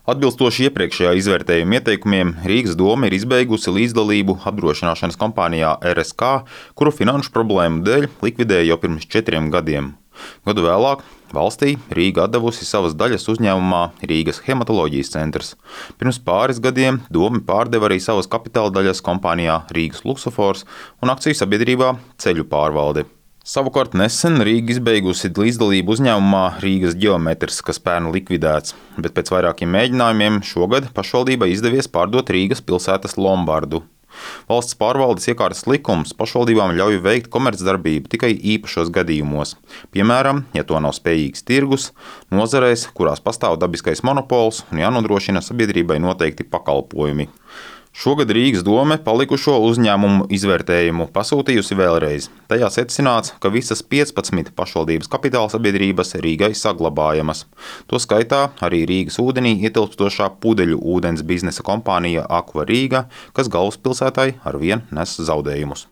Atbilstoši iepriekšējā izvērtējuma ieteikumiem, Rīgas doma ir izbeigusi līdzdalību apdrošināšanas kompānijā RSK, kuru finanšu problēmu dēļ likvidēja jau pirms 4 gadiem. Gadu vēlāk valstī Rīga atdevusi savas daļas uzņēmumā Rīgas hematoloģijas centrs. Pirms pāris gadiem doma pārdeva arī savas kapitāla daļas kompānijā Rīgas Luksofors un akciju sabiedrībā Ceļu pārvalde. Savukārt nesen Rīga izbeigusi līdzdalību uzņēmumā Rīgas Geometrs, kas pērn likvidēts, bet pēc vairākiem mēģinājumiem šogad pašvaldībai izdevies pārdot Rīgas pilsētas Lombardu. Valsts pārvaldes iekārtas likums pašvaldībām ļauj veikt komercdarbību tikai īpašos gadījumos. Piemēram, ja to nav spējīgs tirgus, nozarēs, kurās pastāv dabiskais monopols un jānodrošina sabiedrībai noteikti pakalpojumi. Šogad Rīgas dome palikušo uzņēmumu izvērtējumu pasūtījusi vēlreiz. Tajā secināts, ka visas 15 pašvaldības kapitāla sabiedrības Rīgai saglabājamas. To skaitā arī Rīgas ūdenī ietilpstošā pudeļu ūdens biznesa kompānija Aqua Rīga, kas galvaspilsētai arvien nes zaudējumus.